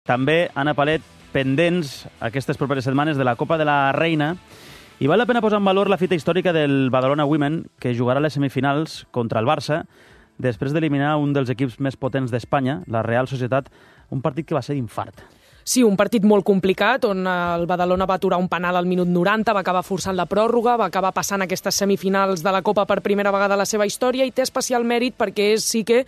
També, Anna Palet, pendents aquestes properes setmanes de la Copa de la Reina, i val la pena posar en valor la fita històrica del Badalona Women, que jugarà a les semifinals contra el Barça, després d'eliminar un dels equips més potents d'Espanya, la Real Societat, un partit que va ser d'infart. Sí, un partit molt complicat, on el Badalona va aturar un penal al minut 90, va acabar forçant la pròrroga, va acabar passant aquestes semifinals de la Copa per primera vegada a la seva història, i té especial mèrit perquè és sí que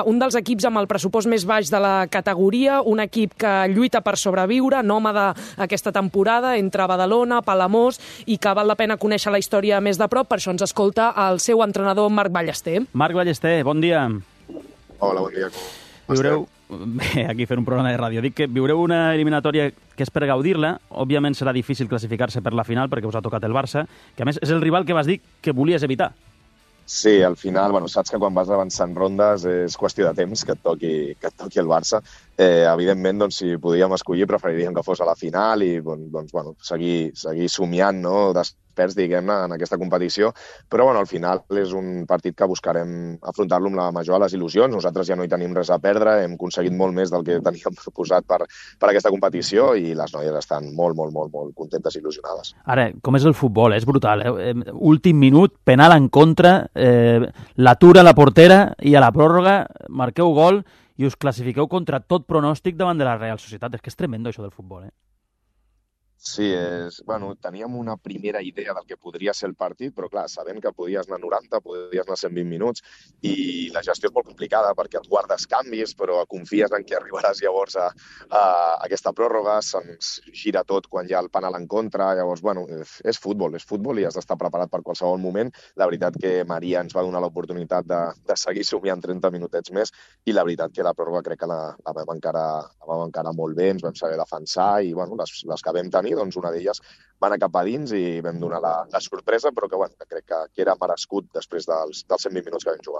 un dels equips amb el pressupost més baix de la categoria, un equip que lluita per sobreviure, nòmada aquesta temporada, entre Badalona, Palamós, i que val la pena conèixer la història més de prop. Per això ens escolta el seu entrenador, Marc Ballester. Marc Ballester, bon dia. Hola, bon dia. Viureu... Bé, aquí fent un programa de ràdio. Dic que viureu una eliminatòria que és per gaudir-la. Òbviament serà difícil classificar-se per la final perquè us ha tocat el Barça, que a més és el rival que vas dir que volies evitar. Sí, al final, saps que quan vas avançant rondes és qüestió de temps que et toqui el Barça. Evidentment, si podíem escollir, preferiríem que fos a la final i seguir somiant, no?, desperts, diguem-ne, en aquesta competició. Però, al final és un partit que buscarem afrontar-lo amb la major de les il·lusions. Nosaltres ja no hi tenim res a perdre, hem aconseguit molt més del que teníem proposat per aquesta competició i les noies estan molt contentes i il·lusionades. Ara, com és el futbol? És brutal, eh? Últim minut, penal en contra, l'atura a la portera i a la pròrroga marqueu gol i us classifiqueu contra tot pronòstic davant de la Real Societat. És que és tremendo això del futbol, eh? Sí, teníem una primera idea del que podria ser el partit, però clar, sabent que podies anar 90, podies anar 120 minuts, i la gestió és molt complicada perquè et guardes canvis, però confies en que arribaràs llavors a aquesta pròrroga, se'ns gira tot quan hi ha el penal en contra, llavors, és futbol i has d'estar preparat per qualsevol moment. La veritat que Maria ens va donar l'oportunitat de seguir somiant 30 minutets més, i la veritat que la pròrroga crec que la vam encarar molt bé, ens vam saber defensar, i les que vam tenir, una d'elles va anar cap a dins i vam donar la sorpresa, però que crec que era merescut després dels 120 minuts que vam jugar.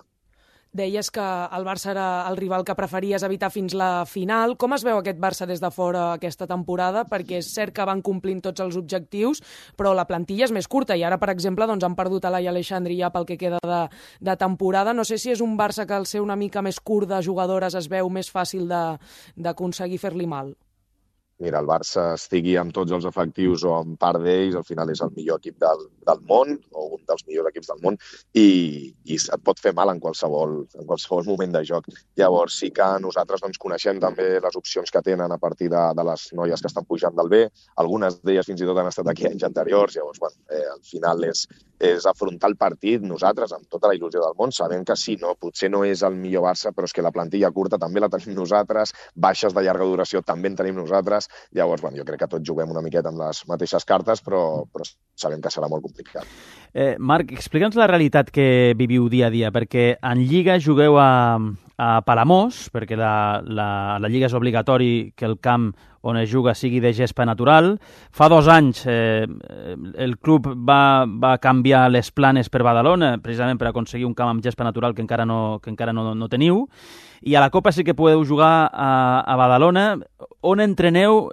Deies que el Barça era el rival que preferies evitar fins la final. Com es veu aquest Barça des de fora aquesta temporada? Perquè és cert que van complint tots els objectius, però la plantilla és més curta i ara, per exemple, han perdut a Laia Aleixandri ja pel que queda de temporada. No sé si és un Barça que al ser una mica més curt de jugadores es veu més fàcil d'aconseguir fer-li mal. Mira, el Barça estigui amb tots els efectius o amb part d'ells, al final és el millor equip del món, o un dels millors equips del món, i et pot fer mal en qualsevol moment de joc. Llavors sí que nosaltres coneixem també les opcions que tenen a partir de les noies que estan pujant del B. Algunes d'elles fins i tot han estat aquí anys anteriors. Llavors, al final és afrontar el partit nosaltres amb tota la il·lusió del món, sabent que sí, potser no és el millor Barça, però és que la plantilla curta també la tenim nosaltres, baixes de llarga duració també en tenim nosaltres. Llavors, jo crec que tots juguem una miqueta amb les mateixes cartes, però sabem que serà molt complicat. Marc, explica'ns la realitat que viviu dia a dia, perquè en Lliga jugueu a Palamós, perquè la Lliga és obligatori que el camp on es juga sigui de gespa natural. Fa 2 anys el club va canviar les planes per Badalona, precisament per aconseguir un camp amb gespa natural que encara no teniu. I a la Copa sí que podeu jugar a Badalona. On entreneu?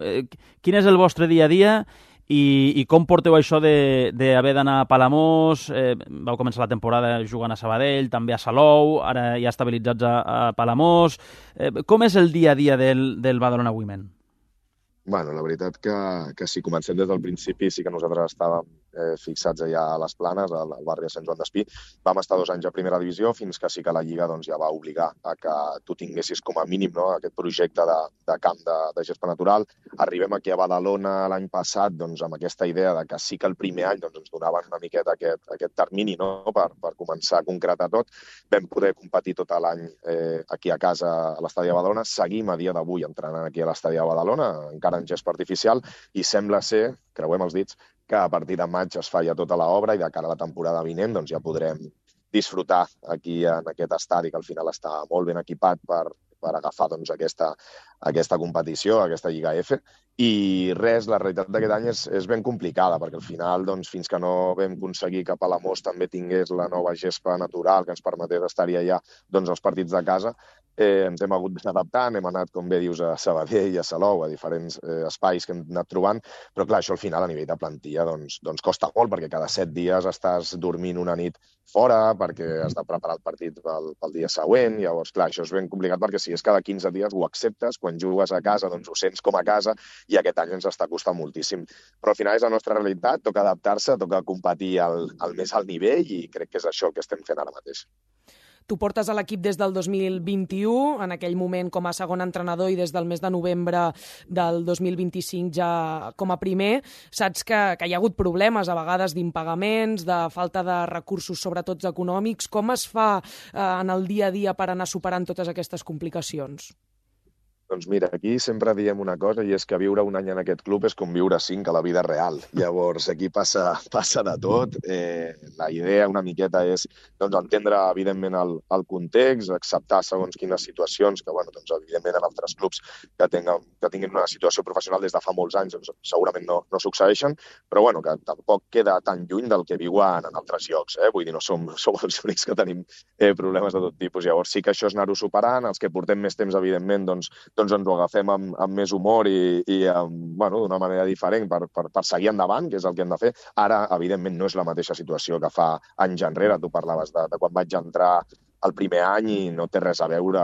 Quin és el vostre dia a dia? I com porteu això d'haver d'anar a Palamós? Vau començar la temporada jugant a Sabadell, també a Salou, ara ja estabilitzats a Palamós. Com és el dia a dia del Badalona Women? La veritat que si comencem des del principi sí que nosaltres estàvem fixats allà a les Planes, al barri de Sant Joan d'Espí. Vam estar 2 anys a primera divisió fins que sí que la Lliga ja va obligar a que tu tinguessis com a mínim aquest projecte de camp de gespa natural. Arribem aquí a Badalona l'any passat amb aquesta idea de que sí que el primer any ens donaven una miqueta aquest termini per començar a concretar tot. Vam poder competir tot l'any aquí a casa a l'estadi de Badalona. Seguim a dia d'avui entrenant aquí a l'estadi de Badalona, encara en gespa artificial, i sembla ser, creuem els dits, que a partir de maig es fa ja tota l'obra i de cara a la temporada vinent ja podrem disfrutar aquí en aquest estadi que al final està molt ben equipat per agafar aquesta competició, aquesta Lliga F. I res, la realitat d'aquest any és ben complicada, perquè al final, fins que no vam aconseguir que Palamós també tingués la nova gespa natural que ens permetés estar-hi allà els partits de casa, ens hem hagut d'adaptar, hem anat, com bé dius, a Sabadell i a Salou, a diferents espais que hem anat trobant, però clar, això al final a nivell de plantilla costa molt, perquè cada 7 dies estàs dormint una nit fora, perquè has de preparar el partit pel dia següent. Llavors, clar, això és ben complicat perquè Si és cada 15 dies ho acceptes, quan jugues a casa doncs ho sents com a casa i aquest any ens està costant moltíssim. Però al final és la nostra realitat, toca adaptar-se, toca competir al més alt nivell i crec que és això el que estem fent ara mateix. Tu portes a l'equip des del 2021, en aquell moment com a segon entrenador i des del mes de novembre del 2025 ja com a primer. Saps que hi ha hagut problemes a vegades d'impagaments, de falta de recursos, sobretot econòmics. Com es fa en el dia a dia per anar superant totes aquestes complicacions? Doncs mira, aquí sempre diem una cosa i és que viure un any en aquest club és com viure 5 a la vida real. Llavors, aquí passa de tot. La idea una miqueta és entendre, evidentment, el context, acceptar segons quines situacions, que, evidentment, en altres clubs que tinguin una situació professional des de fa molts anys segurament no succeeixen, però que tampoc queda tan lluny del que viuen en altres llocs. Vull dir, no som els únics que tenim problemes de tot tipus. Llavors, sí que això és anar-ho superant. Els que portem més temps, evidentment, doncs ens ho agafem amb més humor i d'una manera diferent per seguir endavant, que és el que hem de fer. Ara, evidentment, no és la mateixa situació que fa anys enrere. Tu parlaves de quan vaig entrar el primer any i no té res a veure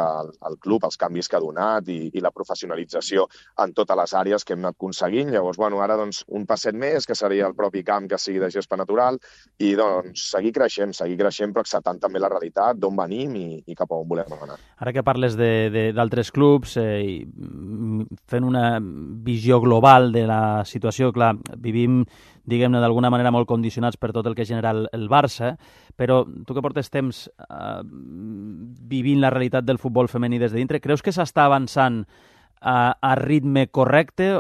el club, els canvis que ha donat i la professionalització en totes les àrees que hem anat aconseguint. Llavors, ara un passet més, que seria el propi camp que sigui de gespa natural i seguir creixent, però acceptant també la realitat, d'on venim i cap a on volem anar. Ara que parles d'altres clubs, fent una visió global de la situació, clar, vivim diguem-ne, d'alguna manera molt condicionats per tot el que genera el Barça, però tu que portes temps vivint la realitat del futbol femení des de dintre, creus que s'està avançant a ritme correcte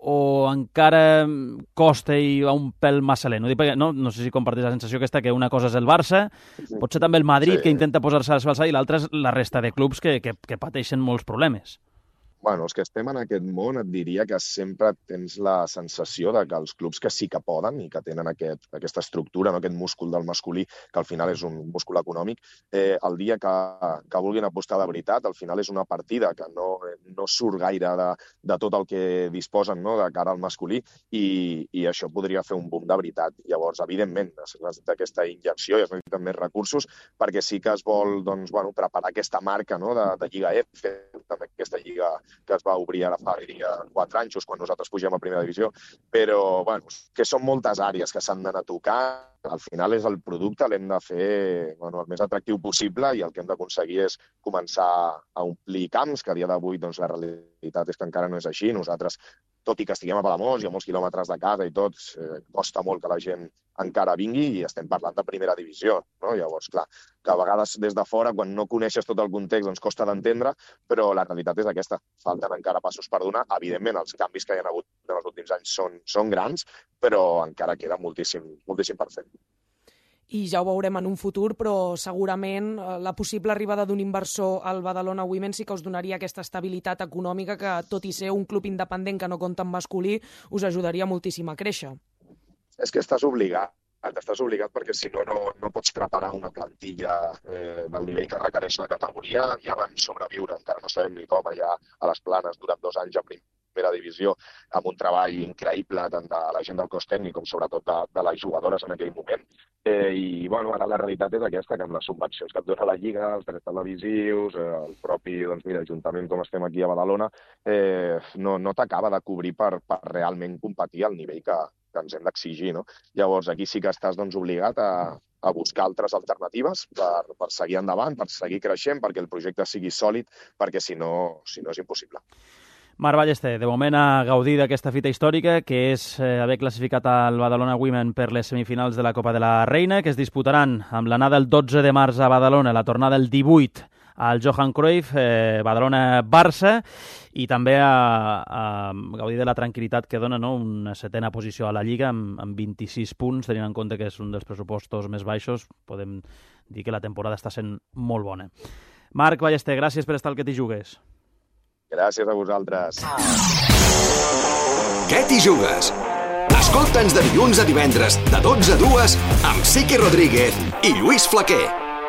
o encara costa i va un pèl massa lent? No sé si compartís la sensació aquesta que una cosa és el Barça, potser també el Madrid, que intenta posar-se a l'alçada, i l'altra és la resta de clubs que pateixen molts problemes. Els que estem en aquest món et diria que sempre tens la sensació de que els clubs que sí que poden i que tenen aquesta estructura, aquest múscul del masculí, que al final és un múscul econòmic, el dia que vulguin apostar de veritat, al final és una partida que no surt gaire de tot el que disposen de cara al masculí i això podria fer un boom de veritat. Llavors, evidentment, es necessita aquesta injecció i es necessiten més recursos perquè sí que es vol preparar aquesta marca de Lliga F, també aquesta lliga que es va obrir ara fa 4 anys, quan nosaltres pugem a primera divisió, però que són moltes àrees que s'han d'anar tocant. Al final és el producte, l'hem de fer el més atractiu possible i el que hem d'aconseguir és començar a omplir camps, que a dia d'avui la realitat és que encara no és així. Nosaltres, tot i que estiguem a Palamós i a molts quilòmetres de casa i tot, costa molt que la gent encara vingui i estem parlant de primera divisió. Llavors, clar, que a vegades des de fora, quan no coneixes tot el context, costa d'entendre, però la realitat és aquesta. Falten encara passos per donar. Evidentment, els canvis que hi ha hagut en els últims anys són grans, però encara queda moltíssim per fer. I ja ho veurem en un futur, però segurament la possible arribada d'un inversor al Badalona Women sí que us donaria aquesta estabilitat econòmica que, tot i ser un club independent que no compta amb masculí, us ajudaria moltíssim a créixer. És que estàs obligat perquè si no pots preparar una plantilla del nivell que requereix la categoria i abans sobreviure, encara no sabem ni com, allà a les Planes durant 2 anys a primera divisió, amb un treball increïble tant de la gent del cos tècnic com sobretot de les jugadores en aquell moment. I ara la realitat és aquesta, que amb les subvencions que et dona la Lliga, els drets televisius, el propi Ajuntament com estem aquí a Badalona, no t'acaba de cobrir per realment competir al nivell que ens hem d'exigir. Llavors, aquí sí que estàs obligat a buscar altres alternatives per seguir endavant, per seguir creixent, perquè el projecte sigui sòlid, perquè si no és impossible. Marc Ballester, de moment a gaudir d'aquesta fita històrica, que és haver classificat el Badalona Women per les semifinals de la Copa de la Reina, que es disputaran amb l'anada el 12 de març a Badalona, la tornada el 18 al Johan Cruyff, Badalona-Barça, i també a gaudir de la tranquil·litat que dona una 7a posició a la Lliga amb 26 punts, tenint en compte que és un dels pressupostos més baixos. Podem dir que la temporada està sent molt bona. Marc Ballester, gràcies per estar al Que t'hi jugues. Gràcies a vosaltres. Què t'hi jugues? Escolta'ns de dilluns a divendres, de 12 a 2, amb Sique Rodríguez i Lluís Flaquer.